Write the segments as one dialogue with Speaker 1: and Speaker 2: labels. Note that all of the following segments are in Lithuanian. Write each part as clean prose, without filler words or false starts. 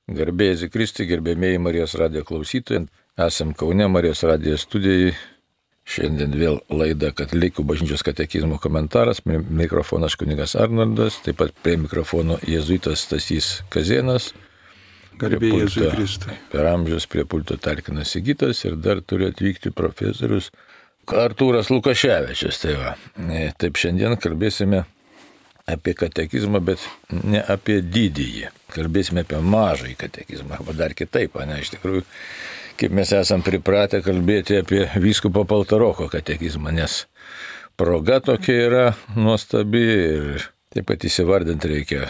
Speaker 1: Garbėjai Jėzui Kristui, gerbėmėjai Marijos radijo klausytojai. Esam Kaune Marijos radijo studijai. Šiandien vėl laida Katalikų bažnyčios katekizmo komentaras. Mikrofonas kunigas Arnoldas, taip pat prie mikrofono jėzuitas Stasys Kazėnas.
Speaker 2: Garbėjai Jėzui Kristui.
Speaker 1: Per amžius prie pulto talkinas Sigitas ir dar turi atvykti profesorius Artūras Lukaševičius. Taip šiandien kalbėsime apie katekizmą, bet ne apie didįjį. Kalbėsime apie mažąjį katekizmą, arba dar kitaip, iš tikrųjų, kaip mes esam pripratę kalbėti apie vyskupo Paltaroko katekizmą, nes proga tokia yra nuostabi ir taip pat įsivardinti reikia,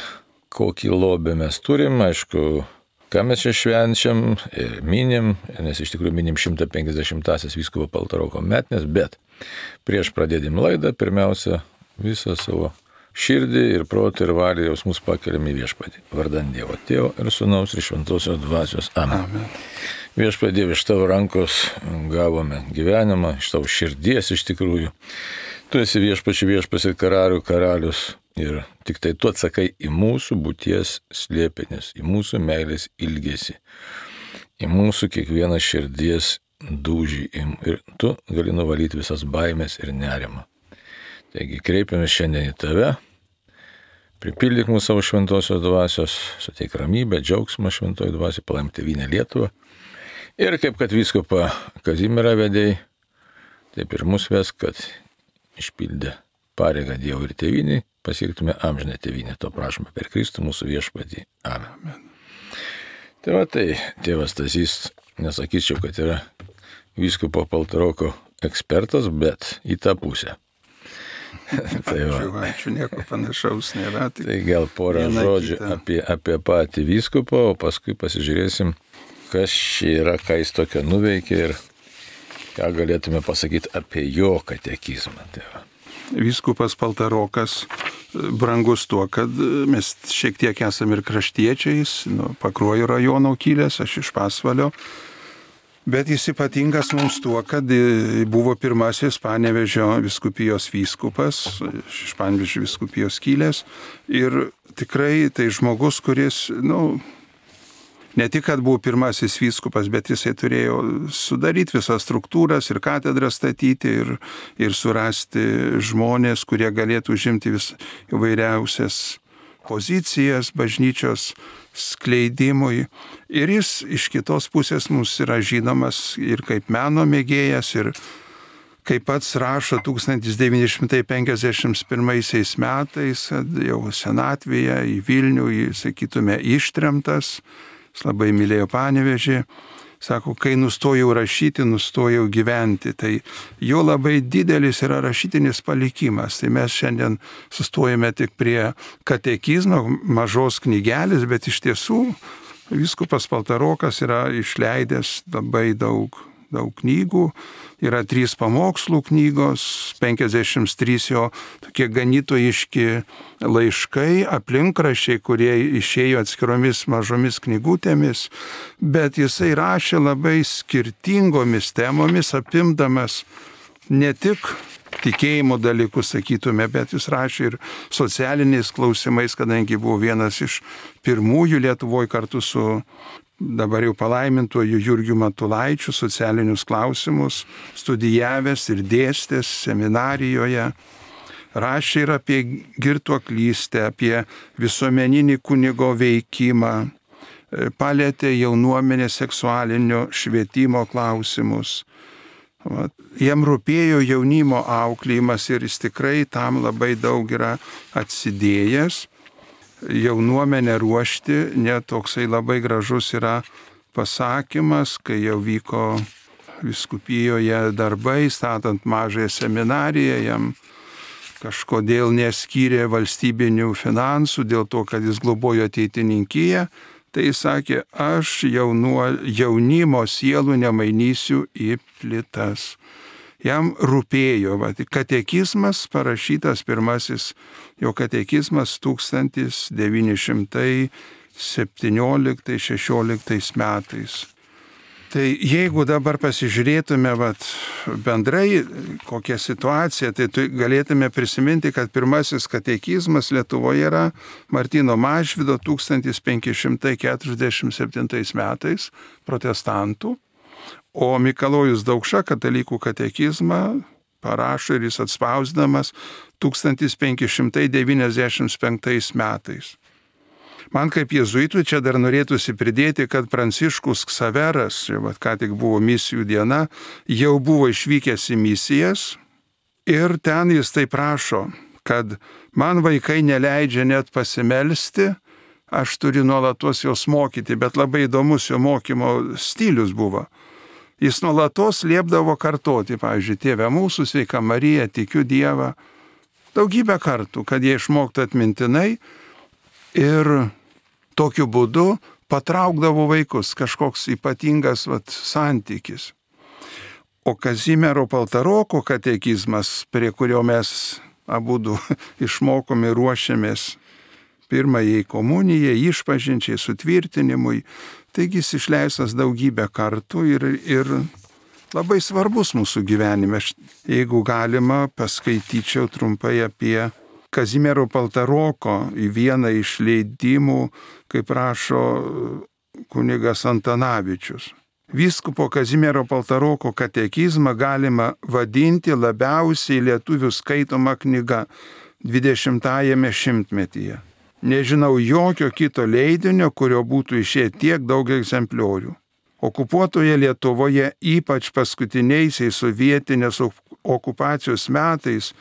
Speaker 1: kokį lobį mes turim, aišku, ką mes čia švenčiam ir minim, nes iš tikrųjų minim 150-asias vyskupo Paltaroko metinės, bet prieš pradėdami laidą, pirmiausia, visą savo širdį ir protą ir valią jausmus pakeliam į Viešpatį. Vardan Dievo Tėvo ir Sūnaus ir Šventosios Dvasios. Amen. Viešpatie, Dieve, iš tavo rankos gavome gyvenimą, iš tavo širdies iš tikrųjų. Tu esi viešpats ir karalių karalius ir tik tai tu atsakai į mūsų būties slėpenis, į mūsų meilės ilgesį, į mūsų kiekvieną širdies dūžį ir tu gali nuvalyti visas baimės ir nerimą. Taigi kreipiamės šiandien į tave, pripildyk mūsų savo šventosios dvasios, suteik ramybę, džiaugsmą šventoji dvasiai, palaimk tėvynę Lietuvą. Ir kaip kad vyskupą Kazimierą vedėjai, taip ir mus ves, kad išpildę pareigą Dievui ir tėvyniai, pasiektume amžinę tėvynę. To prašome per Kristų mūsų Viešpatį. Amen. Tai tėvas Stasys, nesakyčiau, kad yra vyskupo Paltaroko ekspertas, bet į tą pusę.
Speaker 2: Ačiū, nieko panašaus nėra.
Speaker 1: Tai gal porą žodžių apie patį vyskupą, o paskui pasižiūrėsim, kas čia yra, ką jis tokio nuveikė ir ką galėtume pasakyti apie jo katekizmą.
Speaker 2: Vyskupas Paltarokas brangus tuo, kad mes šiek tiek esame ir kraštiečiais, Pakruojo rajono kilęs, aš iš Pasvalio. Bet jis ypatingas mums tuo, kad buvo pirmasis Panevėžio vyskupijos vyskupas, iš Panevėžio vyskupijos kilęs. Ir tikrai tai žmogus, kuris, ne tik, kad buvo pirmasis vyskupas, bet jisai turėjo sudaryti visas struktūras ir katedrą statyti ir surasti žmonės, kurie galėtų užimti įvairiausias pozicijas bažnyčios skleidimui. Ir jis iš kitos pusės mums yra žinomas ir kaip meno mėgėjas, ir kaip pats rašo 1951 metais, kad jau senatvėje į Vilnių, sakytume, ištremtas, jis labai mylėjo Panevėžį. Sako, kai nustojau rašyti, nustojau gyventi. Tai jo labai didelis yra rašytinis palikimas. Tai mes šiandien sustojame tik prie katekizmo, mažos knygelės, bet iš tiesų vyskupas Paltarokas yra išleidęs labai daug knygų. Yra 3 pamokslų knygos, 53 jo tokie ganytojiški laiškai, aplinkraščiai, kurie išėjo atskiromis mažomis knygutėmis, bet jisai rašė labai skirtingomis temomis, apimdamas ne tik tikėjimo dalykus, sakytume, bet jis rašė ir socialiniais klausimais, kadangi buvo vienas iš pirmųjų Lietuvoje kartu su dabar jau palaimintuoju Jurgiu Matulaičiu socialinius klausimus studijavęs ir dėstęs seminarijoje. Rašė ir apie girtuoklystę, apie visuomeninį kunigo veikimą, palietė jaunuomenės seksualinio švietimo klausimus. Jam rūpėjo jaunimo auklėjimas ir jis tikrai tam labai daug yra atsidėjęs. Jaunuomenę ruošti, net toksai labai gražus yra pasakymas, kai jau vyko vyskupijoje darbai, statant mažąją seminariją, jam kažkodėl neskyrė valstybinių finansų dėl to, kad jis globojo ateitininkiją, tai jis sakė, aš jaunimo sielų nemainysiu į plytas. Jam rūpėjo, katekizmas parašytas, pirmasis jo katekizmas 1917-16 metais. Tai jeigu dabar pasižiūrėtume bendrai kokią situaciją, tai galėtume prisiminti, kad pirmasis katekizmas Lietuvoje yra Martyno Mažvydo 1547 metais protestantų, o Mikalojus Daukša katalikų katekizmą parašo ir jis atspausdamas 1595 metais. Man kaip jėzuitui čia dar norėtųsi pridėti, kad Pranciškus Ksaveras, ką tik buvo misijų diena, jau buvo išvykęs į misijas ir ten jis taip rašo, kad man vaikai neleidžia net pasimelsti, aš turiu nuolatos jos mokyti, bet labai įdomus jo mokymo stilius buvo. Jis nuolatos liepdavo kartoti, pavyzdžiui, Tėve mūsų, Sveika Marija, tikiu Dievą, daugybę kartų, kad jie išmoktų atmintinai ir tokiu būdu patraukdavo vaikus, kažkoks ypatingas santykis. O Kazimiero Paltaroko katekizmas, prie kurio mes abudu išmokom ir ruošiamės pirmajai komunijai, išpažinčiai, sutvirtinimui, taigi jis išleistas daugybę kartų ir labai svarbus mūsų gyvenime. Jeigu galima, paskaityčiau trumpai apie Kazimiero Paltaroko į vieną iš leidimų, kaip rašo kunigas Antanavičius. Vyskupo Kazimiero Paltaroko katekizmą galima vadinti labiausiai lietuvių skaitoma knyga 20-ajame šimtmetyje. Nežinau jokio kito leidinio, kurio būtų išėję tiek daug egzempliorių. Okupuotoje Lietuvoje, ypač paskutiniaisiais sovietinės okupacijos metais,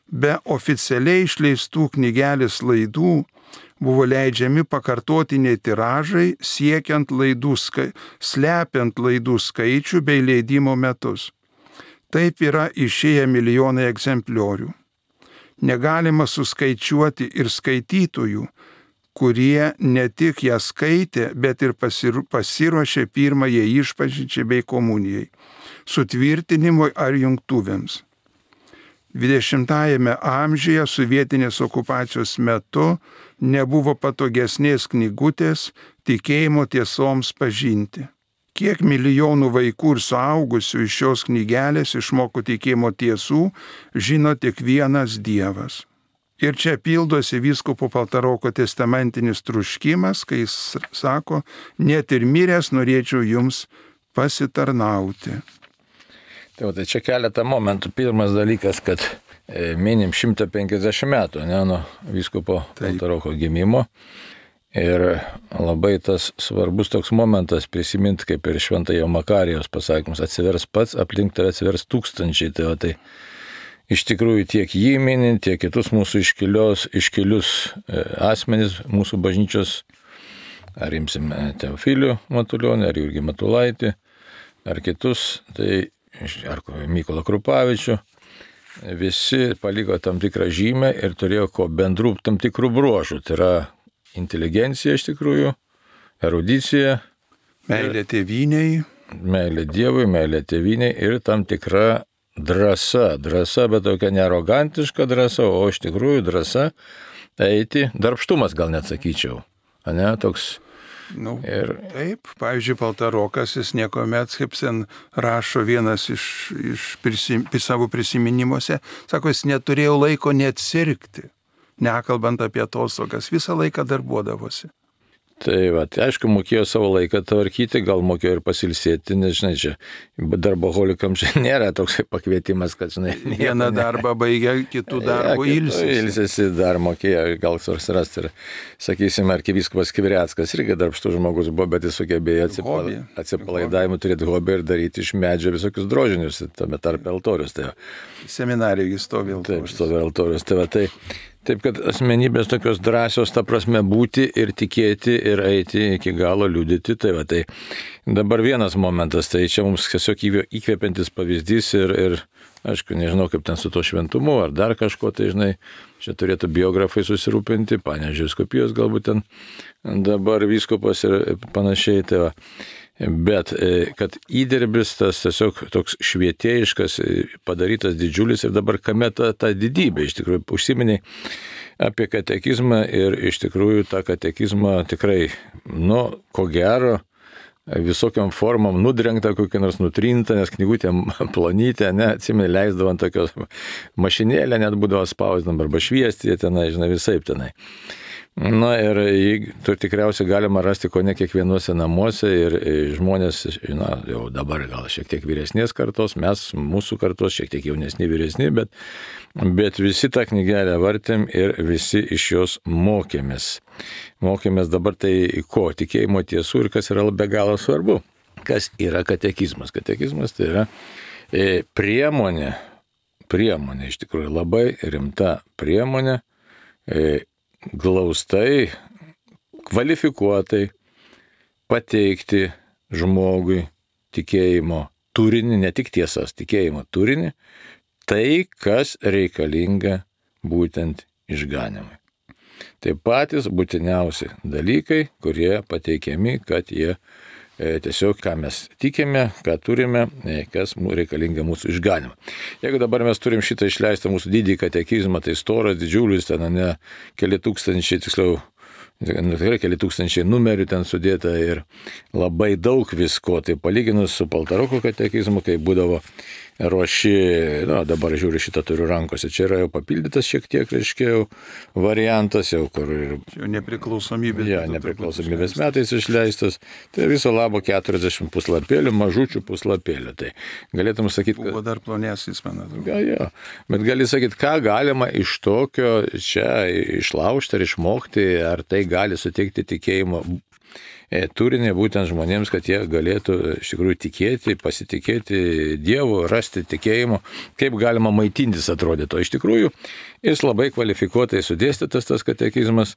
Speaker 2: be oficialiai išleistų knygelės laidų buvo leidžiami pakartotiniai tiražai, slepiant laidų skaičių bei leidimo metus. Taip yra išėję milijonai egzempliorių. Negalima suskaičiuoti ir skaitytojų, kurie ne tik ją skaitė, bet ir pasiruošė pirmajai išpažinčiai bei komunijai, sutvirtinimui ar jungtuvėms. 20-ajame amžiuje sovietinės okupacijos metu nebuvo patogesnės knygutės tikėjimo tiesoms pažinti. Kiek milijonų vaikų ir suaugusių iš šios knygelės išmoko tikėjimo tiesų, žino tik vienas Dievas. Ir čia pildosi vyskupo Paltaroko testamentinis troškimas, kai jis sako, net ir miręs norėčiau jums pasitarnauti.
Speaker 1: Tai čia keletą momentų. Pirmas dalykas, kad minim 150 metų nuo vyskupo Paltaroko gimimo. Ir labai tas svarbus toks momentas prisiminti, kaip ir Šventojo Makarijos pasakymus, atsivers pats, aplink tave atsivers tūkstančiai. Tai iš tikrųjų tiek jį minint, tiek kitus mūsų iškilius asmenys, mūsų bažnyčios, ar imsim Teofilių Matulionį, ar Jurgį Matulaitį, ar kitus, ar Mykolą Krupavičių, visi paliko tam tikrą žymę ir turėjo bendrų tam tikrų bruožų. Tai yra inteligencija iš tikrųjų, erudicija,
Speaker 2: meilė tėvyniai,
Speaker 1: meilė Dievui, meilė tėvyniai ir tam tikra drąsa, bet tokia nearogantiška drąsa, o iš tikrųjų drąsa eiti, darbštumas gal net sakyčiau, toks.
Speaker 2: Taip, pavyzdžiui, Paltarokas, jis niekuomet, kaip sen rašo vienas iš savo prisiminimuose, sako, jis neturėjo laiko net sirgti. Nekalbant apie atostogas, visą laiką darbuodavosi.
Speaker 1: Tai aišku, mokėjo savo laiką tvarkyti, gal mokėjo ir pasilsėti, nežinai, čia darboholikams čia nėra toks pakvietimas, kad, žinai,
Speaker 2: vieną darbą baigia, kitų darbų ilsisi.
Speaker 1: Ilsisi dar mokėjo, gal surasti ir, sakysim, arkivyskupas Kivriackas irgi darbštus žmogus buvo, bet jis sugebėjo atsipalaidavimų turėti hobį ir daryti iš medžio visokius drožinius, tame tarp altorius.
Speaker 2: Seminarijoje stovi altorius.
Speaker 1: Taip, stovi altorius. Taip, kad asmenybės tokios drąsios, ta prasme, būti ir tikėti ir eiti iki galo, liudyti. Tai dabar vienas momentas, tai čia mums tiesiog įkvepiantis pavyzdys ir aišku, nežinau, kaip ten su to šventumu ar dar kažko, tai žinai, čia turėtų biografai susirūpinti, Panevėžio vyskupijos galbūt ten dabar vyskupas ir panašiai. Bet kad įdirbis tas tiesiog toks švietėjiškas, padarytas didžiulis ir dabar kame ta didybė, iš tikrųjų užsiminiai apie katekizmą ir iš tikrųjų tą katekizmą tikrai, ko gero, visokiam formom nudrengta, kokia nors nutrinta, nes knygutė plonytė, atsimeni, leisdavo ant tokios mašinėlė, net būdavo spausdinama arba šviesti tenai, žinai, visaip tenai. Na ir tikriausiai galima rasti ko ne kiekvienuose namuose ir žmonės, jau dabar gal šiek tiek vyresnės kartos, mūsų kartos šiek tiek jaunesni, vyresni, bet visi tą knygelę vartėm ir visi iš jos mokėmės. Mokėmės dabar tai ko, tikėjimo tiesų ir kas yra be galo svarbu. Kas yra katekizmas? Katekizmas tai yra priemonė, iš tikrųjų labai rimta priemonė, glaustai, kvalifikuotai pateikti žmogui tikėjimo turinį, ne tik tiesas, tikėjimo turinį, tai, kas reikalinga būtent išganimui. Tai patys būtiniausi dalykai, kurie pateikiami, kad jie tiesiog, ką mes tikime, ką turime, kas reikalinga mūsų išganimą. Jeigu dabar mes turim šitą išleistą mūsų didį katekizmą, tai storas, didžiulis, ten keli tūkstančiai, tiksliau, tikrai keli tūkstančiai numerių ten sudėta ir labai daug visko, tai palyginus su Paltaroko katekizmu, kai būdavo ruoši, dabar žiūriu, šitą turiu rankose, čia yra jau papildytas šiek tiek, reiškia, jau variantas, jau kur ir...
Speaker 2: Jau nepriklausomybės.
Speaker 1: Nepriklausomybės metais išleistas, tai viso labo 40 puslapėlių, mažučių puslapėlių, tai galėtum sakyti,
Speaker 2: kad... Buvo dar plonesnis, man atrodo.
Speaker 1: Jo, bet gali sakyti, ką galima iš tokio čia išlaužti ar išmokti, ar tai gali suteikti tikėjimo turinį būtent žmonėms, kad jie galėtų iš tikrųjų tikėti, pasitikėti Dievu, rasti tikėjimo, kaip galima maitintis atrodytų. Iš tikrųjų, jis labai kvalifikuotai sudėstytas tas katekizmas.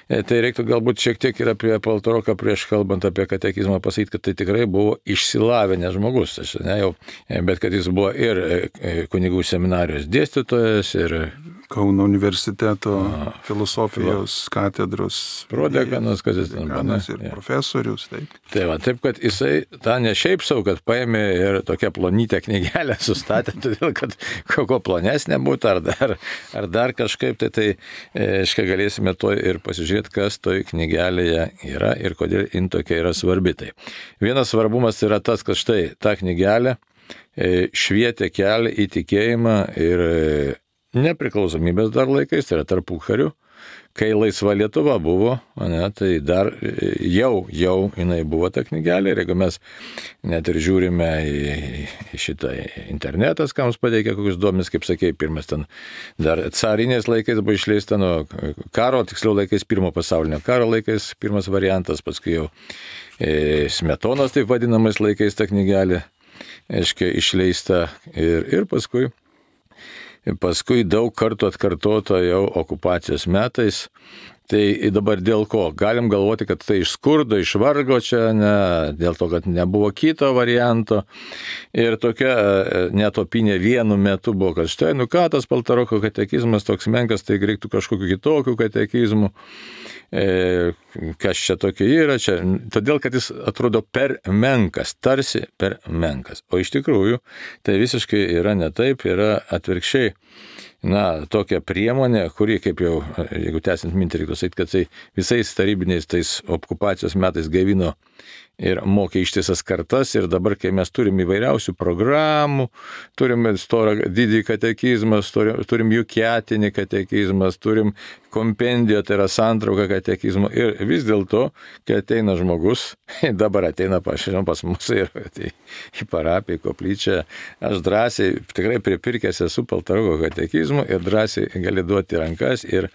Speaker 1: Tai reiktų galbūt šiek tiek ir apie Paltaroką prieš kalbant apie katekizmą pasakyti, kad tai tikrai buvo išsilavinęs žmogus. Bet kad jis buvo ir kunigų seminarijos dėstytojas, ir
Speaker 2: Kauno universiteto filosofijos katedros
Speaker 1: prodekanas, kas jis ten buvo.
Speaker 2: Ir profesorius.
Speaker 1: Taip, kad jisai tą ne šiaip savo, kad paėmė ir tokią plonytę knygelę sustatė, todėl kad kokia plonesnė būtų, ar dar kažkaip, tai galėsime to ir pasižiūrėti, kas toj knygelėje yra ir kodėl jin tokia yra svarbi. Tai vienas svarbumas yra tas, kad štai ta knygelė švietė kelią į tikėjimą ir nepriklausomybės dar laikais, tai yra tarpukariu, kai laisva Lietuva buvo, tai dar jau jinai buvo ta knygelė, ir jeigu mes net ir žiūrime į šitą internetas, ką mums pateikia kokius duomenis, kaip sakėjai, pirmas ten dar carinės laikais buvo išleista, karo, tiksliau laikais, pirmo pasaulinio karo laikais, pirmas variantas, paskui jau Smetonos taip vadinamais laikais ta knygelė, išleista ir paskui daug kartų atkartota jau okupacijos metais. Tai dabar dėl ko? Galim galvoti, kad tai iš skurdo, iš vargo čia, dėl to, kad nebuvo kito varianto. Ir tokia netopinė vienu metu buvo, kad štai, ką tas Paltaroko katekizmas toks menkas, tai reiktų kažkokiu kitokiu katekizmu. Kas čia tokia yra čia? Todėl, kad jis atrodo per menkas, tarsi per menkas. O iš tikrųjų, tai visiškai yra ne taip, yra atvirkščiai. Tokia priemonė, kuri, kaip jau, jeigu tęsiant mintį, reiktų sakyti, kad tai visais tarybiniais tais okupacijos metais gaivino ir mokė ištisas kartas, ir dabar, kai mes turim įvairiausių programų, turim didį katekizmą, turim jukiatinį katekizmą, turim kompendiją, tai yra santrauką katekizmo, ir vis dėlto, kai ateina žmogus, dabar ateina pas mus ir į parapiją, į koplyčią, aš drąsiai, tikrai pripirkęs esu Paltaroko katekizmų ir drąsiai gali duoti rankas, ir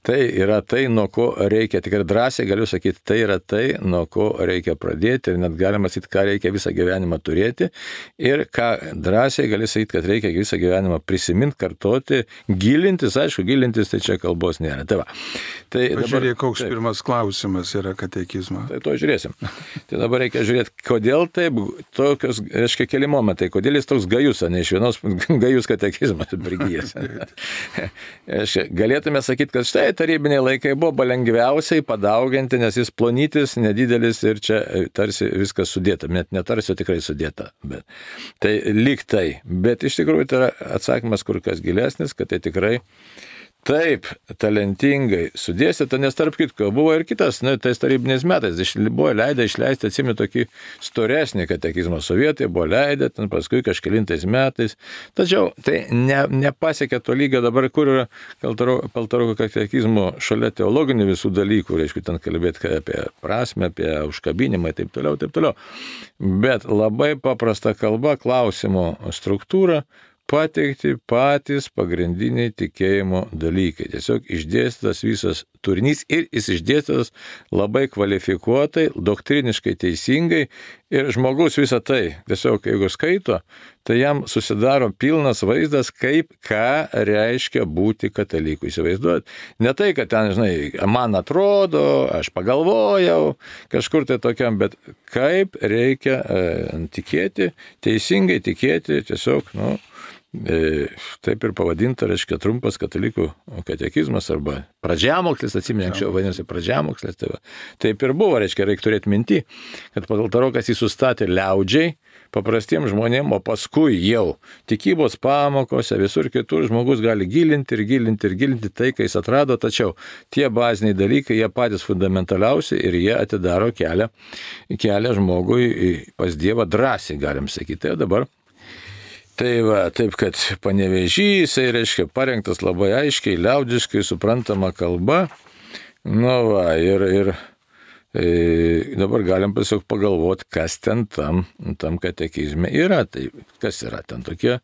Speaker 1: tai yra tai, nuo ko reikia, tikrai drąsiai galiu sakyti, tai yra tai, nuo ko reikia pradėti, ir net galima sakyti, ką reikia visą gyvenimą turėti, ir ką drąsiai gali sakyti, kad reikia visą gyvenimą prisiminti, kartoti, gilintis, aišku, gilintis, tai čia kalbos nėra. Tai va.
Speaker 2: Pažiūrėk, koks pirmas klausimas yra katekizmo.
Speaker 1: Tai to žiūrėsim. Tai dabar reikia žiūrėti, kodėl taip, tokios, reiškia, keli momentai, kodėl jis toks gajus, ne iš vienos gajus katekizmas prigijęs. Galėtume sakyti, kad štai tarybiniai laikai buvo lengviausiai padauginti, nes jis plonytis, nedidelis ir čia tarsi viskas sudėta, net netarsi, o tikrai sudėta. Tai lyg tai, bet iš tikrųjų tai yra atsakymas kur kas gilesnis, kad tai tikrai taip talentingai sudėstyta, nes tarp kitko buvo ir kitas, tais tarybiniais metais buvo leidę išleisti, atsimenu, tokį storesnį katekizmą. Sovietai buvo leidę, ten paskui kažkelintais metais. Tačiau tai nepasiekė to lygio dabar, kur yra Paltaroko katekizmo šalia teologinių visų dalykų, reiškia, ten kalbėti apie prasme, apie užkabinimą ir taip toliau. Bet labai paprasta kalba, klausimo struktūra, pateikti patys pagrindiniai tikėjimo dalykai. Tiesiog išdėstytas visas turinys ir jis išdėstytas labai kvalifikuotai, doktriniškai teisingai ir žmogus visą tai, tiesiog jeigu skaito, tai jam susidaro pilnas vaizdas, ką reiškia būti kataliku. Įsivaizduojat? Ne tai, kad ten, žinai, man atrodo, aš pagalvojau, kažkur tai tokiam, bet kaip reikia tikėti, teisingai tikėti, tiesiog, taip ir pavadinta, reiškia, trumpas katalikų katekizmas arba pradžiamokslis, atsimenu, anksčiau vadinasi pradžiamokslis. Taip ir buvo, reiškia, reikia turėti minti, kad Paltarokas jį sustatė liaudžiai, paprastiems žmonėms, o paskui jau tikybos pamokose, visur kitur žmogus gali gilinti tai, ką jis atrado, tačiau tie baziniai dalykai, jie patys fundamentaliausi ir jie atidaro kelią žmogui pas Dievą drąsiai, galim sakyti. Tai dabar taip, kad Panevėžy, jisai, reiškia, parengtas labai aiškiai, liaudiškai suprantama kalba. Ir dabar galim tiesiog pagalvoti, kas ten tam katekizme yra. Tai kas yra ten tokie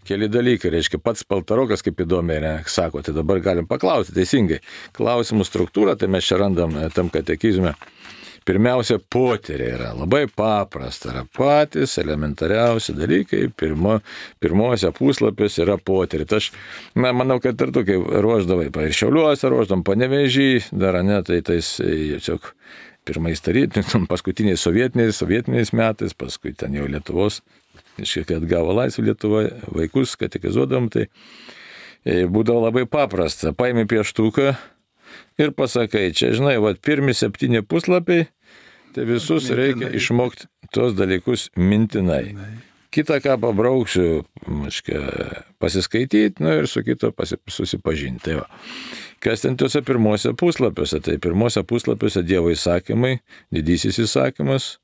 Speaker 1: keli dalykai. Reiškia, pats Paltarokas, kaip įdomiai sako, tai dabar galim paklausti teisingai. Klausimų struktūra, tai mes čia randam tam katekizme. Pirmiausia, potyrė yra labai paprasta, yra patys elementariausi dalykai, pirmose puslapiuose yra potyrė. Tai aš manau, kad ir tu, kai ruoždavai, ir Šiauliuose ruoždam, Panevėžy, dar tai tiesiog pirmais paskutiniais sovietiniais metais, paskui ten jau Lietuvos, kai atgavo laisvę Lietuvoje, vaikus katekizuodam, tai būdavo labai paprasta. Paimi pieštuką ir pasakai, čia, žinai, pirmi 7 puslapiai, tai visus reikia išmokti tos dalykus mintinai. Kitą, ką pabrauksiu, pasiskaityti, ir su kito susipažinti. Tai va. Kas ten tuose pirmose puslapiuose? Tai pirmose puslapiuose Dievo įsakymai, didysis įsakymas,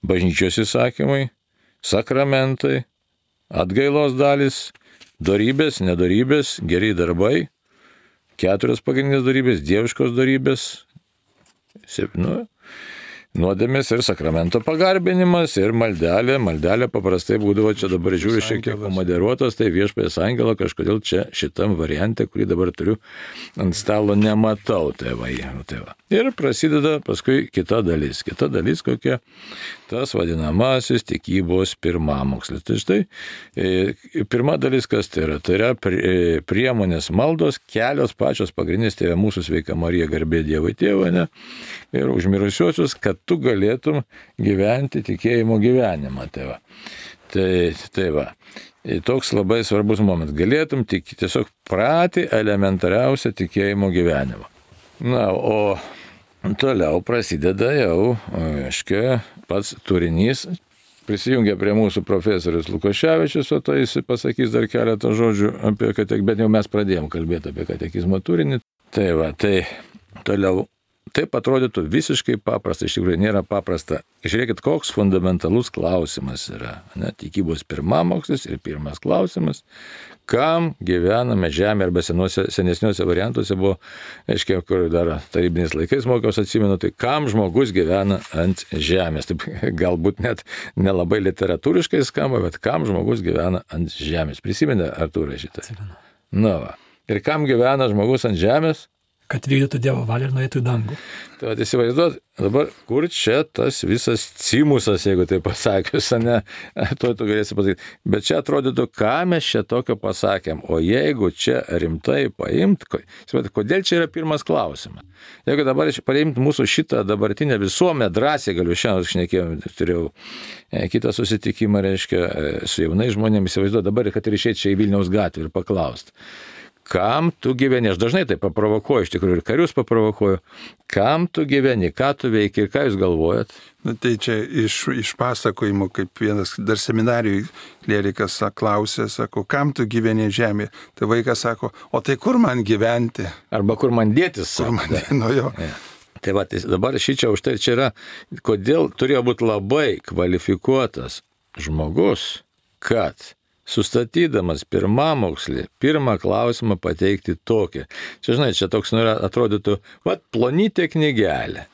Speaker 1: bažnyčios įsakymai, sakramentai, atgailos dalis, dorybės, nedorybės, geri darbai, 4 pagrindinės dorybės, dieviškos dorybės, nuodėmės ir sakramento pagarbinimas ir maldelė. Maldelė paprastai būdavo, čia dabar žiūriu šiek tiek pamoderuotos, tai Viešpaties angelo kažkodėl čia šitam variante, kurį dabar turiu ant stalo, nematau. Tai va. Ir prasideda paskui kita dalis. Kita dalis kokia? Tas vadinamasis tikybos pirmamokslis. Tai štai, pirma dalis kas tai yra? Tai yra priemonės maldos, kelios pačios pagrindinės, Tėve mūsų, sveika Marija, garbė Dievui Tėvui, ir už mirusiuosius, kad tu galėtum gyventi tikėjimo gyvenimą. Tai va. Toks labai svarbus momentas. Galėtum tiesiog pratį elementariausią tikėjimo gyvenimą. O toliau prasideda jau, pats turinys. Prisijungia prie mūsų profesorius Lukoševičius, o tai jis pasakys dar keletą žodžių apie katekizmą, bet jau mes pradėjom kalbėti apie katekizmo turinį. Tai va, tai toliau. Taip atrodytų visiškai paprasta, iš tikrųjų nėra paprasta. Žiūrėkit, koks fundamentalus klausimas yra. Tikybos pirmamokslis ir pirmas klausimas, kam gyvename žemė, arba senesniuose variantuose buvo, kur dar tarybiniais laikais mokiausi, atsimenu, tai kam žmogus gyvena ant žemės. Taip, galbūt net nelabai literatūriškai skamba, bet kam žmogus gyvena ant žemės. Prisimena Artūrai šitą? Va. Ir kam gyvena žmogus ant žemės?
Speaker 3: Kad vykdytų Dievo valią ir nueitų į dangų.
Speaker 1: Tai įsivaizduot, dabar kur čia tas visas cimusas, jeigu tai pasakius, tu galėsi pasakyti. Bet čia atrodytų, ką mes čia tokio pasakėm. O jeigu čia rimtai paimt, kodėl čia yra pirmas klausimas? Jeigu dabar paimt mūsų šitą dabartinę visuomenę, drąsiai galiu šiandien šnekėjau, turėjau kitą susitikimą, su jaunais žmonėmis, įsivaizduot dabar, kad ir išėti čia į Vilniaus gatvę ir paklausti. kam tu gyveni. Aš dažnai tai paprovokuoju, iš tikrųjų ir karius paprovokuoju. Kam tu gyveni, ką tu veiki ir ką jūs galvojat?
Speaker 2: Na, tai čia iš pasakojimų, kaip vienas dar seminarijui klerikas klausė, sako, kam tu gyveni žemė? Tai vaikas sako, o tai kur man gyventi?
Speaker 1: Arba kur man dėtis?
Speaker 2: Kur man dėtis? Nu jo.
Speaker 1: Ja. Tai va, tai dabar šičia už tai čia yra, kodėl turėjo būti labai kvalifikuotas žmogus, kad sustatydamas pirmamokslį, pirmą klausimą pateikti tokį. Čia, žinai, čia toks atrodytų, plonytė knygelė.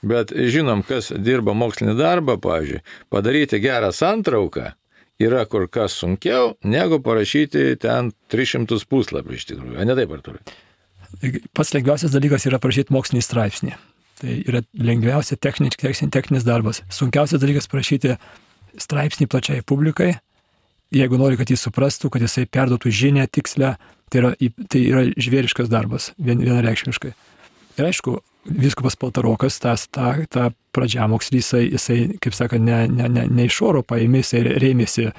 Speaker 1: Bet žinom, kas dirba mokslinį darbą, pavyzdžiui, padaryti gerą santrauką yra kur kas sunkiau, negu parašyti ten 300 puslapių iš tikrųjų. Ne taip, Artūrai?
Speaker 3: Pats lengviausias dalykas yra parašyti mokslinį straipsnį. Tai yra lengviausia techninis darbas. Sunkiausias dalykas parašyti straipsnį plačiai publikai, jeigu nori, kad jis suprastų, kad jisai perduotų žinią tikslę, tai yra žvėriškas darbas, vienareikšmiškai. Ir aišku, vyskupas Paltarokas, tą pradžiamokslį, jisai, kaip sakant, ne iš oro paėmė, jisai rėmėsi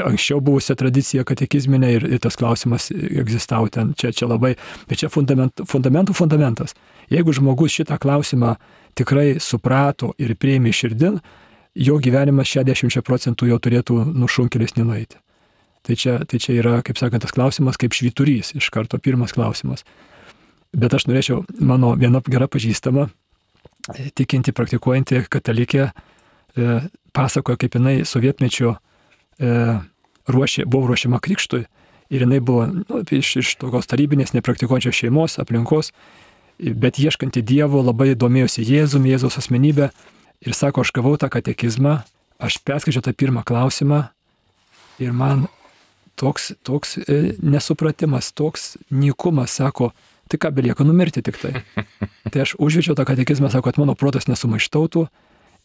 Speaker 3: anksčiau buvusią tradiciją katekizminę ir tas klausimas egzistavo ten, čia labai, bet čia fundamentų fundamentas. Jeigu žmogus šitą klausimą tikrai suprato ir priėmė širdin, jo gyvenimas 60% jau turėtų nušunkelis nenueiti. Tai čia yra, kaip sakant, tas klausimas kaip švyturys, iš karto pirmas klausimas. Bet aš norėčiau, mano viena gera pažįstama, tikinti, praktikuojanti katalikė, pasakoja, kaip jinai sovietmečio buvo ruošiama krikštui ir jinai buvo iš tokios tarybinės, nepraktikuojančios šeimos, aplinkos, bet ieškanti Dievo, labai domėjosi Jėzaus asmenybę. Ir sako, aš gavau tą katekizmą, aš perskaičiau tą pirmą klausimą ir man toks nesupratimas, toks nykumas, sako, tai ką belieka numirti tik tai. Tai aš užvečiau tą katekizmą, sako, kad mano protas nesumaištautų,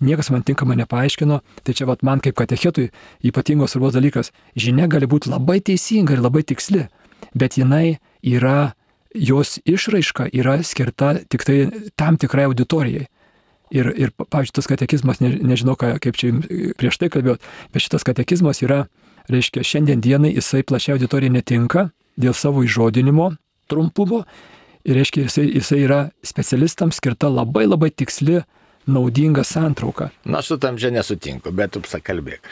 Speaker 3: niekas man tinkamai nepaaiškino, tai čia man kaip katechetui ypatingos svarbos dalykas, žinia gali būti labai teisinga ir labai tiksli, bet jos išraiška yra skirta tik tai tam tikrai auditorijai. Ir pavyzdžiui, tas katekizmas, nežinau, kaip čia prieš tai kalbėjau, bet šitas katekizmas yra, reiškia, šiandien dienai jisai plačiai auditorijai netinka dėl savo įžodinimo trumpumo ir, reiškia, jisai yra specialistams skirta labai labai tiksli, naudinga santrauka.
Speaker 1: Na, su tam čia nesutinku, bet tu pakalbėk.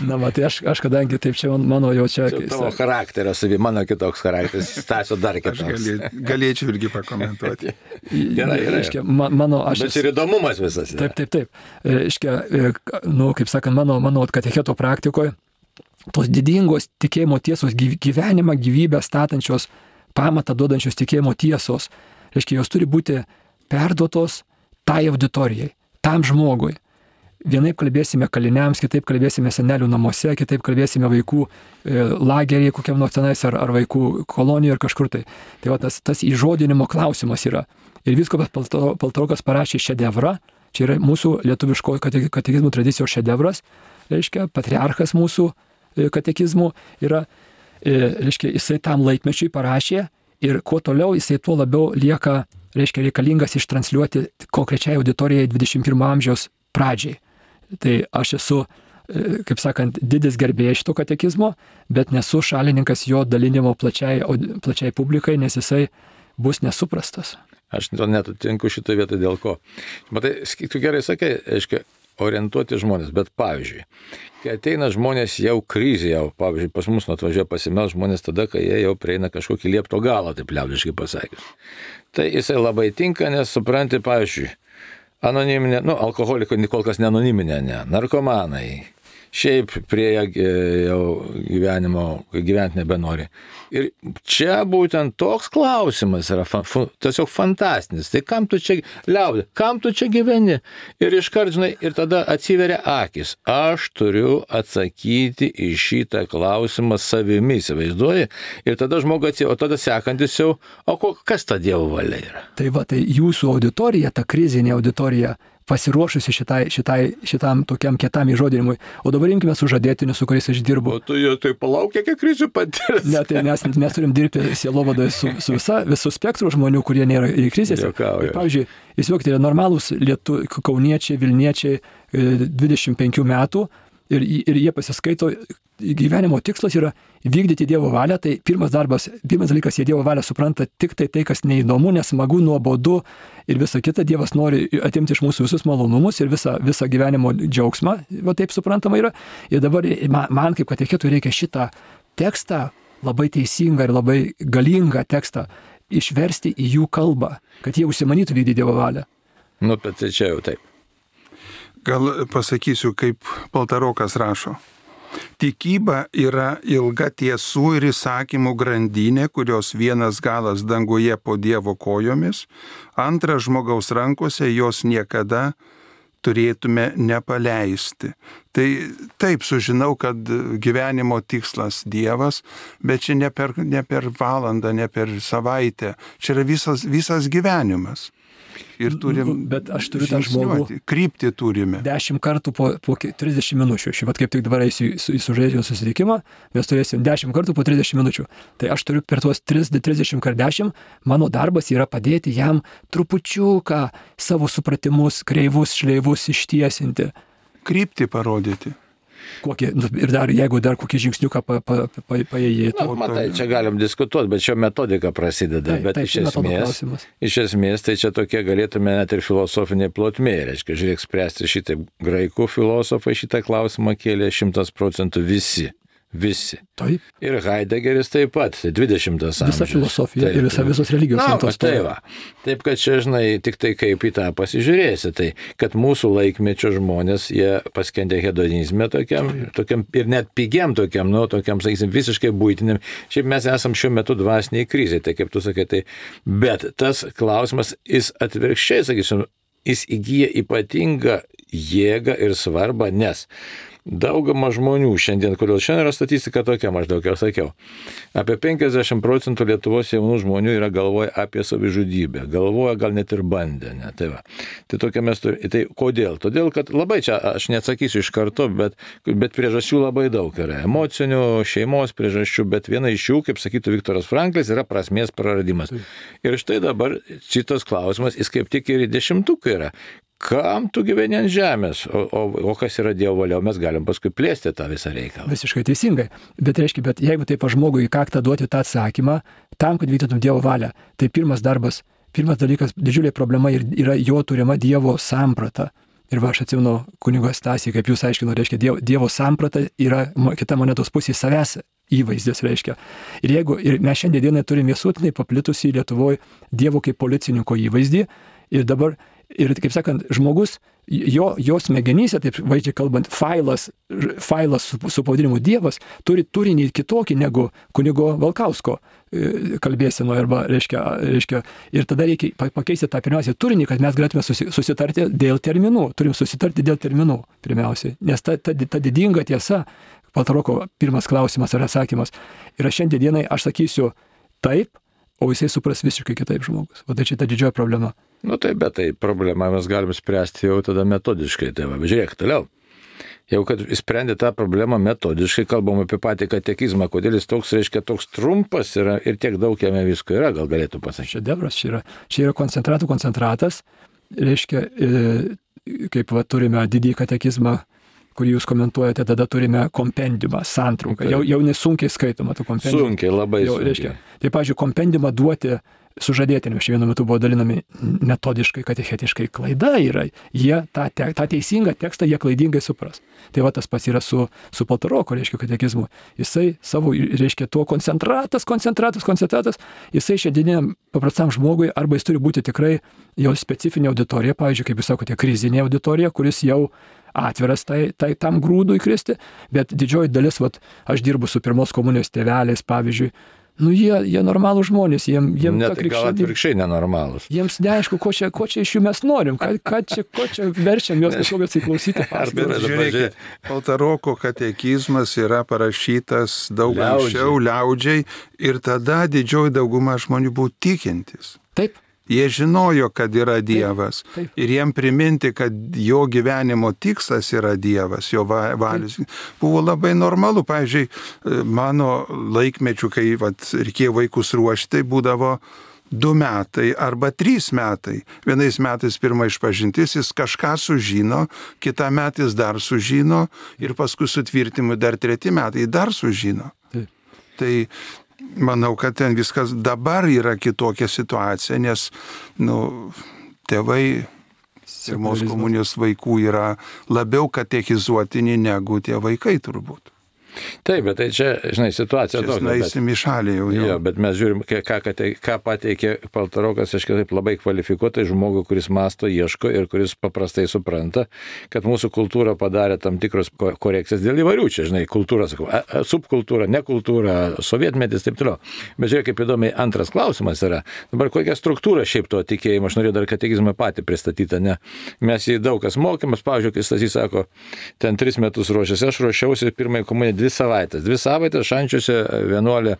Speaker 3: Na, tai aš kadangi taip čia mano jau čia...
Speaker 1: Tavo charakterio savi, mano kitoks charakteris, Stasio dar kitoks.
Speaker 2: Aš galėčiau irgi pakomentuoti.
Speaker 1: Gerai. Bet čia ir įdomumas visas.
Speaker 3: Taip. Reiškia, kaip sakant, mano katecheto praktikoje, tos didingos tikėjimo tiesos, gyvenimą, gyvybę statančios, pamatą duodančios tikėjimo tiesos, reiškia, jos turi būti perduotos tai auditorijai, tam žmogui. Vienaip kalbėsime kaliniams, kitaip kalbėsime senelių namuose, kitaip kalbėsime vaikų lagerėje kokiam nors tenais ar vaikų kolonijoje ar kažkur tai. Tai va, tas įžodinimo klausimas yra. Ir vyskupas Paltarokas parašė šedevrą, čia yra mūsų lietuviško katekizmų tradicijos šedevras, reiškia, patriarchas mūsų katekizmų yra, reiškia, jisai tam laikmečiui parašė ir kuo toliau jisai tuo labiau lieka, reiškia, reikalingas ištransliuoti konkrečiai auditorijai 21 amžiaus pradžiai. Tai aš esu, kaip sakant, didis gerbėjas šito katekizmo, bet nesu šalininkas jo dalinimo plačiai publikai, nes jisai bus nesuprastas.
Speaker 1: Aš netutinku šitą vietą dėl ko. Matai, tu gerai sakai, aiškiai, orientuoti žmonės, bet pavyzdžiui, kai ateina žmonės jau krizė, pavyzdžiui, pas mus atvažiuoja pasimels žmonės tada, kai jie jau prieina kažkokį liepto galą, taip liaudiškai pasakius. Tai jisai labai tinka, nes supranti, pavyzdžiui, anoniminė, alkoholiko kol kas ne anoniminė, narkomanai, šiaip prie jau gyvenimo, gyventi nebenori. Ir čia būtent toks klausimas yra tiesiog fantastinis. Tai kam tu čia liaudė, kam tu čia gyveni? Ir iškart, žinai, ir tada atsiveria akis. Aš turiu atsakyti į šitą klausimą savimi, įsivaizduoji? Ir tada žmogus atsiveria, o tada sekantis jau, kas ta Dievo valia yra?
Speaker 3: Tai va, tai jūsų auditorija, ta krizinė auditorija, pasiruošusi šitam tokiam kietam įžodinimui. O dabar imkime sužadėtinius, su kuriais aš dirbu.
Speaker 1: O tu jau tai palauk, kiek krizių patirs.
Speaker 3: Ne, tai mes turim dirbti sielovadoje su visų spektrų žmonių, kurie nėra krizėse. Pavyzdžiui, įsivaizduokite, normalūs kauniečiai, Vilniečiai 25 metų ir jie pasiskaito gyvenimo tikslas yra vykdyti Dievo valią, tai pirmas dalykas, jie Dievo valią supranta tik tai, kas neįdomu, nesmagu, nuobodu ir visa kita. Dievas nori atimti iš mūsų visus malonumus ir visą gyvenimo džiaugsmą, va taip suprantama yra. Ir dabar man kaip katechetui reikia šitą tekstą, labai teisingą ir labai galingą tekstą, išversti į jų kalbą, kad jie užsimanytų vykdyti Dievo valią.
Speaker 1: Nu, bet tai čia jau taip.
Speaker 2: Gal pasakysiu, kaip Paltarokas rašo. Tikyba yra ilga tiesų ir įsakymų grandinė, kurios vienas galas danguje po Dievo kojomis, antras žmogaus rankose, jos niekada turėtume nepaleisti. Tai taip sužinau, kad gyvenimo tikslas Dievas, bet čia ne per valandą, ne per savaitę. Čia yra visas gyvenimas. Ir turim
Speaker 3: bet aš turiu tą žmogų.
Speaker 2: Kryptį turime.
Speaker 3: 10 kartų po 30 minučių. Vat kaip tik dabar eisiu į sužaidimo susitikimą, mes turėsim 10 kartų po 30 minučių. Tai aš turiu per tuos 30x10, mano darbas yra padėti jam trupučiuką savo supratimus, kreivus, šleivus ištiesinti.
Speaker 2: Kryptį parodyti.
Speaker 3: Ir jeigu dar kokį žingsniuką paėjėtų.
Speaker 1: Na, matai, čia galim diskutuoti, bet čia metodika prasideda. Bet iš esmės tai čia tokie galėtume net ir filosofiniai plotmė. Reiškia, žiūrėk, spręsti šitą graikų filosofą šitą klausimą kėlė 100% visi.
Speaker 3: Taip.
Speaker 1: Ir Heideggeris taip pat, 20 amžius.
Speaker 3: Visa filosofija ir visos religijos.
Speaker 1: Taip, kad čia, žinai, tik tai kaip į tą pasižiūrėsi, tai kad mūsų laikmečio žmonės, jie paskendė hedonizme tokiam ir net pigiam tokiam, sakysim, visiškai buitiniam. Šiaip mes esam šiuo metu dvasiniai krizai, tai kaip tu sakai, tai. Bet tas klausimas, jis atvirkščiai, sakysim, jis įgyja ypatingą jėgą ir svarbą, nes daugama žmonių šiandien, kodėl šiandien yra statistika tokia, maždaug jau sakiau, apie 50% Lietuvos jaunų žmonių yra galvoja apie savižudybę, galvoja gal net ir bandę, ne, tai va. Tai tokia mes turime, tai kodėl? Todėl, kad labai čia, aš neatsakysiu iš karto, bet priežasčių labai daug yra, emocinių, šeimos priežasčių, bet viena iš jų, kaip sakytų Viktoras Franklis, yra prasmės praradimas. Ir štai dabar šitas klausimas, jis kaip tik ir į 10-uką yra. Kam tu gyveni ant žemės, o kas yra Dievo valia, mes galim paskui plėsti tą visą reikalą.
Speaker 3: Visiškai teisingai. Bet jeigu taip žmogui į kaktą duoti tą atsakymą, tam, kad vykdytum Dievo valią, tai pirmas dalykas, didžiulė problema yra jo turima Dievo samprata. Ir aš atsimenu kunigo Stasį, kaip jūs aiškino, reiškia, Dievo samprata yra kita monetos pusė savęs įvaizdis, reiškia. Ir mes šiandien turime visuotinai paplitusį Lietuvoje Dievo kaip policininko įvaizdį. Ir kaip sakant, žmogus, jo smegenyse, taip vaizdžiai kalbant, failas su pavadinimu Dievas turi turinį kitokį negu kunigo Valkausko kalbėseno, arba reiškia, ir tada reikia pakeisti tą pirmiausiai turinį, kad mes galėtume susitarti dėl terminų. Turim susitarti dėl terminų pirmiausiai, nes ta didinga tiesa, Paltaroko pirmas klausimas ar atsakymas, yra šiandienai aš sakysiu taip, o jisai supras visiškai kitaip žmogus. O tai čia ta didžioji problema.
Speaker 1: Nu tai, bet tai problemą mes galim spręsti jau tada metodiškai. Tai va, žiūrėk, toliau. Jau kad sprendė tą problemą metodiškai, kalbam apie patį katekizmą, kodėl jis toks, reiškia, toks trumpas yra ir tiek daug jame visko yra, gal galėtų pasakyti.
Speaker 3: Šedevras čia yra koncentratas, reiškia, kaip va, turime didįjį katekizmą, kurį jūs komentuojate, tada turime kompendiumą, santrauką. Jau nesunkiai skaitoma tų kompendiumą.
Speaker 1: Sunkiai, labai sunkiai.
Speaker 3: Reiškia, tai, pavyzdžiui, kompendiumą duoti sužadėtiniams vienu metu buvo dalinami metodiškai, katechetiškai. Klaida yra. Jie tą teisingą tekstą jie klaidingai supras. Tai va tas pats yra su Paltaroko, reiškia, katekizmu. Jisai savo, reiškia, tuo koncentratas, jisai šiandieniam paprastam žmogui arba jis turi būti tikrai jo specifinė auditorija, pavyzdžiui, kaip jūs sakote, krizinė auditorija, kuris jau atviras tam grūdui įkristi, bet didžioji dalis, aš dirbu su pirmos komunijos tėveliais, pavyzdžiui, jie normalūs žmonės, jiem
Speaker 1: net gal atvirkščiai nenormalūs.
Speaker 3: Jiems neaišku, ko čia iš jų mes norim, ko čia verčiam juos kažkokios įklausyti.
Speaker 2: Žiūrėkit, Paltaroko katekizmas yra parašytas daug anksčiau, liaudžiai, ir tada didžioji dauguma žmonių buvo tikintis.
Speaker 3: Taip.
Speaker 2: Jie žinojo, kad yra Dievas.
Speaker 3: Taip.
Speaker 2: Ir jiem priminti, kad jo gyvenimo tikslas yra Dievas, jo valius. Buvo labai normalu. Pavyzdžiui, mano laikmečių, kai reikėjo vaikus ruošti, tai būdavo 2 metai arba 3 metai. Vienais metais pirma išpažintis, jis kažką sužino, kitą metą jis dar sužino ir paskui sutvirtimui dar 3 metai dar sužino.
Speaker 3: Taip.
Speaker 2: Tai manau, kad ten viskas dabar yra kitokia situacija, nes tėvai pirmos komunijos vaikų yra labiau katechizuotini negu tie vaikai turbūt.
Speaker 1: Taip, bet tai čia, žinai, situacija tokia.
Speaker 2: Naisim į šalį jau.
Speaker 1: Jo, bet mes žiūrim, ką pateikė Paltarokas, aš taip labai kvalifikuotai žmogų, kuris masto, ieško ir kuris paprastai supranta, kad mūsų kultūra padarė tam tikros korekcijas dėl įvairių, čia, žinai, kultūra, sakau, subkultūra, nekultūra, sovietmetis, taip toliau. Bet žiūrėk, kaip įdomiai antras klausimas yra. Dabar kokia struktūra šiaip to tikėjimo, aš norėjau dar katekizmą patį pristatytą, ne? Mes jį daug kas mokėmės, pavyzdžiui, kai Stasys sako, ten 3 metus ruošiasi, aš ruošiausi pirmąjį komuniją 2 savaitės. 2 savaitės šančiuose vienuolę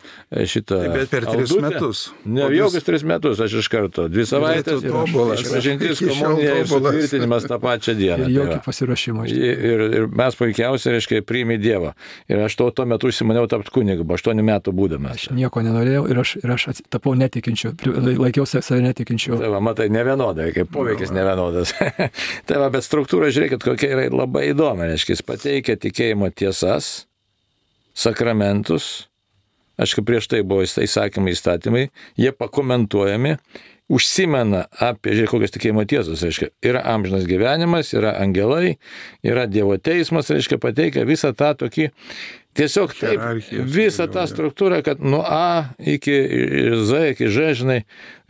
Speaker 1: šitą...
Speaker 2: Bet per 3 metus.
Speaker 1: Ne, jokius 3 metus, aš iš karto. 2 savaitės, išpažintis, komunija ir sutvirtinimas tą pačią dieną.
Speaker 3: Ir jokio pasiruošimo.
Speaker 1: Ir mes puikiausiai, reiškia, priimi Dievą. Ir aš tuo metu užsimaniau tapti kunigu, 8 metų būdamas.
Speaker 3: Aš nieko nenorėjau ir aš tapau netikinčiu, laikiausi save netikinčiu.
Speaker 1: Tai va, matai, nevienodai, kaip poveikis nevienodas. Tai va, bet struktūra, žiūrėkit, kokia yra labai įdomi. Reiškia, jis pateikia tikėjimo tiesas, sakramentus, aišku, prieš tai buvo įsakymai, įstatymai, jie pakomentuojami, užsimena apie, žiūrėk, kokios tikėjimo tiesos, reiškia, yra amžinas gyvenimas, yra angelai, yra Dievo teismas, reiškia, pateikia visą tą tokį, tiesiog taip, visą tą struktūrą, kad nuo A iki Z, iki Ž, žinai,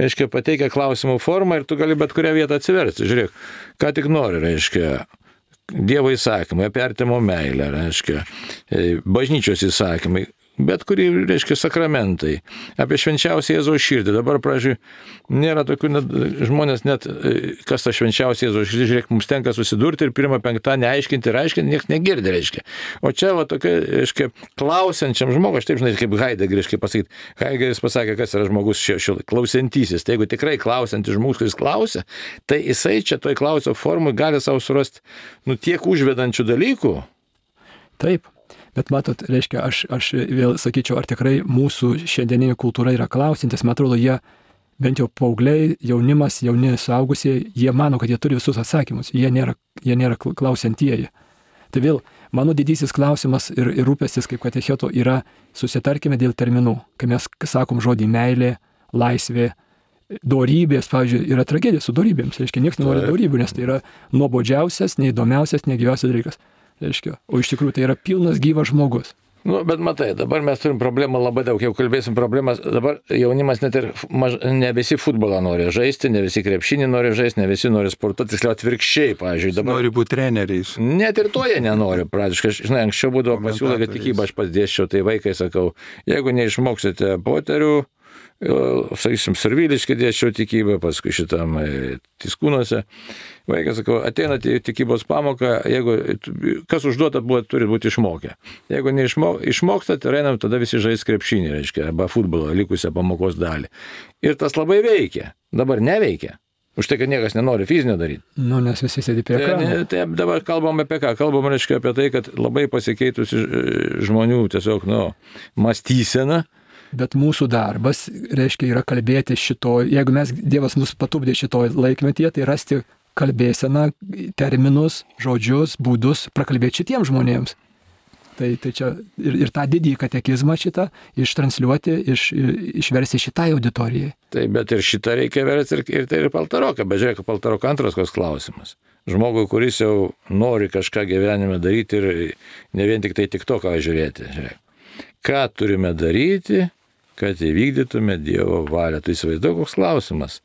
Speaker 1: reiškia, pateikia klausimų formą ir tu gali bet kurią vietą atsiversti, žiūrėk, ką tik nori, reiškia, Dievo įsakymai, apie artimo meilę, reiškia, bažnyčios įsakymai, bet kurį, reiškia, sakramentai, apie švenčiausią Jėzaus širdį. Dabar, pradžiui, nėra tokių žmonės net, kas ta švenčiausia Jėzaus širdį, žiūrėk, mums tenka susidurti ir pirmą penktadienį aiškinti ir aiškinti, niekas negirdi, reiškia. O čia, va, tokia, reiškia, klausiančiam žmogui, aš taip, žinai, kaip Heideggeris, kaip pasakyti, Heideggeris pasakė, kas yra žmogus klausiantysis. Tai jeigu tikrai klausiantis žmogus, kuris klausia, tai jisai čia toj klausio formui gali savo surasti, tiek užvedančių dalykų.
Speaker 3: Taip. Bet matot, reiškia, aš vėl sakyčiau, ar tikrai mūsų šiandieninė kultūra yra klausintis, man atrodo, jie, bent jau paaugliai, jaunimas, jauni suaugusieji, jie mano, kad jie turi visus atsakymus, jie nėra klausiantieji. Tai vėl, mano didysis klausimas ir rūpestis kaip katecheto yra susitarkime dėl terminų, kai mes sakom žodį meilė, laisvė, dorybės, pavyzdžiui, yra tragedija su dorybėms, reiškia, niekas nenori dorybių, nes tai yra nuobodžiausias, neįdomiausias, negyviausias dalykas. Reiškia, o iš tikrųjų tai yra pilnas gyvas žmogus.
Speaker 1: Bet matai, dabar mes turim problemą labai daug, jau kalbėsim problemas, dabar jaunimas net ir ne visi futbolą nori žaisti, ne visi krepšinį nori žaisti, ne visi nori sportuoti, tiksliau atvirkščiai, pavyzdžiui. Dabar
Speaker 2: nori būti treneriais.
Speaker 1: Net ir to jie nenori, pradžiškai, žinai, anksčiau būdavo pasiūlė, kad tikybą aš pats dėsčiau, tai vaikai sakau, jeigu neišmoksite poterių, sakysim, Serviliškai dėsčiau tikybą, paskui šitam Tiskūnuose. Vaikas, sakau, ateinate į tikybos pamoką, jeigu kas užduota buvo, turi būti išmokę. Jeigu neišmokstate, einam, tada visi žais krepšinį, reiškia, arba futbolo likusią pamokos dalį. Ir tas labai veikia. Dabar neveikia. Už tai, kad niekas nenori fizinio daryti.
Speaker 3: Nes visi sėdi prie ekrano.
Speaker 1: Tai dabar kalbam apie ką? Kalbam, reiškia, apie tai, kad labai pasikeitusi žmonių tiesiog, mąstysena.
Speaker 3: Bet mūsų darbas, reiškia, yra kalbėti jeigu Dievas mus patupdė šitoj laikmetyje, tai rasti kalbėseną, terminus, žodžius, būdus, prakalbėti šitiems žmonėms. Tai čia ir tą didįjį katekizmą šitą ištransliuoti, išversti šitai auditorijai.
Speaker 1: Taip, bet ir šitą reikia versti ir tai ir Paltaroką. Bet žiūrėk, Paltaroko antras koks klausimas. Žmogui, kuris jau nori kažką gyvenime daryti ir ne vien tik TikToką žiūrėti. Žiūrėk. Ką turime daryti, kad įvykdytume Dievo valią? Tai įsivaizduoju, koks klausimas.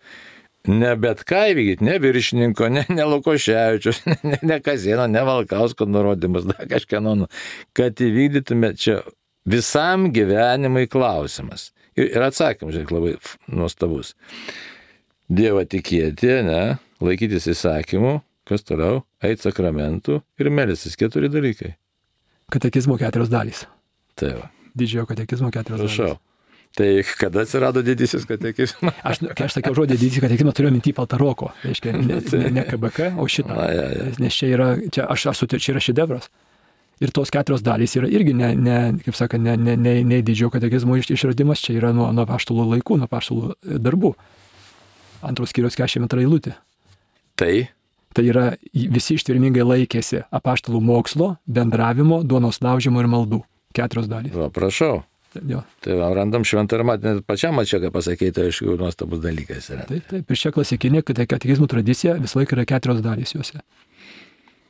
Speaker 1: Ne bet ką įvykdyti, ne viršininko, ne Lukoševičius, ne Kazėno, ne Valkausko nurodymas, dar kažkieno, kad įvykdytume čia visam gyvenimui klausimas. Ir atsakymas, žiūrėk, labai nuostabus. Dievą tikėti, laikytis įsakymų, kas toliau, eiti sakramentų ir melstis. 4 dalykai.
Speaker 3: Katekizmo 4 dalys.
Speaker 1: Tai va.
Speaker 3: Didžiojo katekizmo 4 dalys.
Speaker 1: Prašau. Tai kada atsirado didysis katekizmas?
Speaker 3: Kai aš sakiau žodį didysis katekizmas, turiu minty Paltaroko. Reiškia, ne KBK, o šitą. Nes čia yra šedevras. Ir tos 4 dalys yra irgi kaip sakant, ne didžiojo katekizmo išradimas, čia yra nuo apaštalų laikų, nuo apaštalų darbų. 2 skyriaus 42 eilutė. Tai yra visi ištvermingai laikėsi apaštalų mokslo, bendravimo, duonos laužimo ir maldų. 4 dalys.
Speaker 1: Va, prašau.
Speaker 3: Jo.
Speaker 1: Tai va, randam šventą ir net pačiam čia, ką pasakyti, tai aišku, nuostabus dalykas yra.
Speaker 3: Taip. Ir čia klasikinė katekizmų tradicija visą laiką yra 4 dalys juose.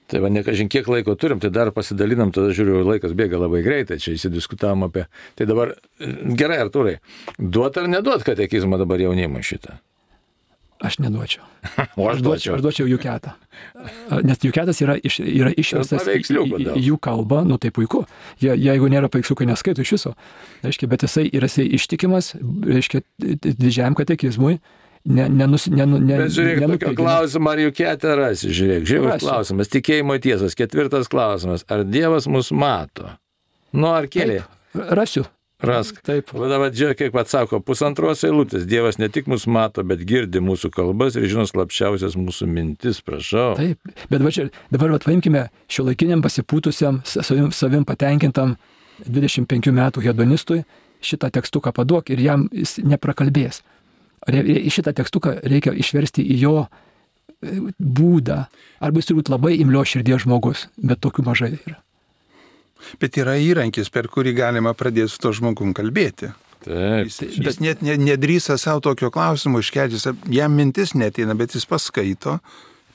Speaker 1: Tai va, nekažin kiek laiko turim, tai dar pasidalinam, tada žiūriu, laikas bėga labai greitai, čia įsidiskutavom apie. Tai dabar, gerai, Artūrai, duot ar neduot katekizmą dabar jaunimui šitą?
Speaker 3: Aš neduočiau.
Speaker 1: O aš duočiau.
Speaker 3: Aš duočiau Juketą. Nes Juketas yra išverstas į jų kalbą, nu tai puiku. Jeigu nėra paveiksliukai, neskaito iš viso. Reiškia, bet jisai yra ištikimas, reiškia, didžiajam katekizmui. Bet
Speaker 1: žiūrėk, tokio klausimą, ar Juketę rasi, žiūrėk, klausimas, tikėjimo tiesas, 4 klausimas, ar Dievas mus mato? Nu, ar keli?
Speaker 3: Rasiu.
Speaker 1: Rask.
Speaker 3: Taip.
Speaker 1: Dabar žiūrėk, kiek pats sako, 2 eilutės, Dievas ne tik mus mato, bet girdi mūsų kalbas ir žino slapčiausias mūsų mintis, prašau.
Speaker 3: Taip, bet dabar paimkime šiuolaikiniam pasipūtusiam, savim patenkintam 25 metų hedonistui šitą tekstuką paduok ir jam jis neprakalbės. Šitą tekstuką reikia išversti į jo būdą. Arba jis turi būti labai imlios širdies žmogus, bet tokių mažai yra.
Speaker 2: Bet yra įrankis, per kurį galima pradėti su to žmogum kalbėti.
Speaker 1: Taip.
Speaker 2: Jis net nedrįsa savo tokio klausimo iškelti, jam mintis neteina, bet jis paskaito,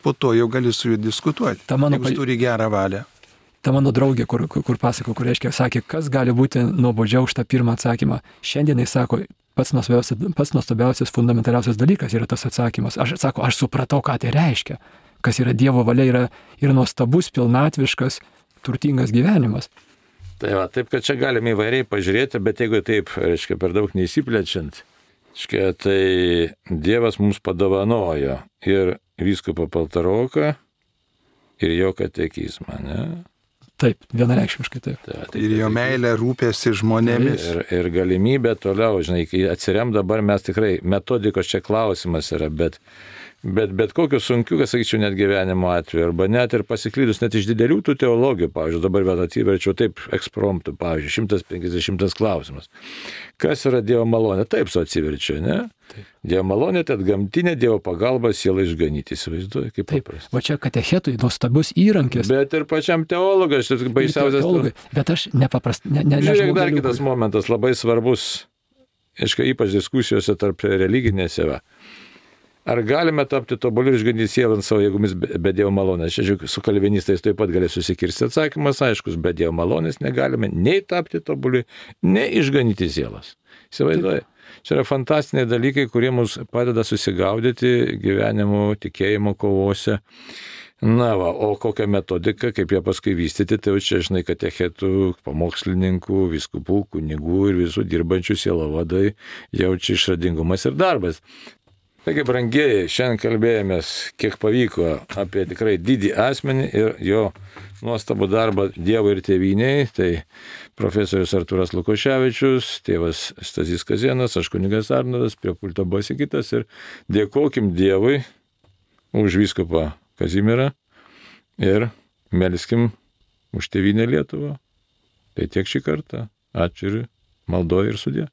Speaker 2: po to jau gali su juo diskutuoti. Jeigu turi gerą valią.
Speaker 3: Ta mano draugė, kur pasako, kur reiškia, sakė, kas gali būti nuobodžiau už tą pirmą atsakymą. Šiandien jis sako, pats nuostabiausias, fundamentaliausias dalykas yra tas atsakymas. Aš supratau, ką tai reiškia. Kas yra Dievo valia, yra nuostabus, pilnatviškas, turtingas gyvenimas.
Speaker 1: Tai va, taip, kad čia galime įvairiai pažiūrėti, bet jeigu taip, reiškia, per daug neįsiplečiant, reiškia, tai Dievas mums padovanojo ir vyskupą Paltaroką, ir jo katekizmą, ne?
Speaker 3: Taip, vienareikšmiškai taip.
Speaker 2: Ir jo meilė rūpėsi žmonėmis.
Speaker 1: Ir galimybė toliau, žinai, kai atsirem dabar mes tikrai, metodikos čia klausimas yra, bet kokiu sunkiu, kas sakyčiau, net gyvenimo atveju, arba net ir pasiklydus, net iš didelių tų teologijų, pavyzdžiui, dabar vėl atsiverčiau taip ekspromptu, pavyzdžiui, 150 klausimas. Kas yra Dievo malonė? Taip su atsiverčiu, ne? Taip. Dievo malonė, tai atgamtinė Dievo pagalba sielą išganyti, įsivaizduoju, kaip paprasta.
Speaker 3: Va čia katechetui nuostabus įrankis.
Speaker 1: Bet ir pačiam teologas, šis baisiausias.
Speaker 3: Bet aš nepaprastai.
Speaker 1: Žiūrėk, dar kitas momentas, labai svarbus, ypač diskusijose tarp religinėse. Ar galime tapti tobuli ir išganyti sielą ant savo jėgomis be Dievo malonės? Čia, žiūrėk, su kalvinistais taip pat gali susikirsti. Atsakymas aiškus, be Dievo malonės negalime nei tapti tobuli, nei išganyti sielas. Įsivaizduoji? Čia yra fantastiniai dalykai, kurie mums padeda susigaudyti gyvenimo, tikėjimo kovose. Na va, o kokią metodiką, kaip ją paskui vystyti, tai jau čia, žinai, katechetų, pamokslininkų, vyskupų, kunigų ir visų dirbančių sielovadai jaučia išradingumas ir darbas. Taigi, brangieji, šiandien kalbėjomės, kiek pavyko apie tikrai didį asmenį ir jo nuostabų darbą Dievui ir tėvynei. Tai profesorius Artūras Lukoševičius, tėvas Stasys Kazėnas, aš kunigas Arnoldas, prie pulto buvo Sigitas ir dėkokim Dievui už vyskupą Kazimierą ir melskim už tėvynę Lietuvą. Tai tiek šį kartą. Ačiū ir maldoju ir sudie.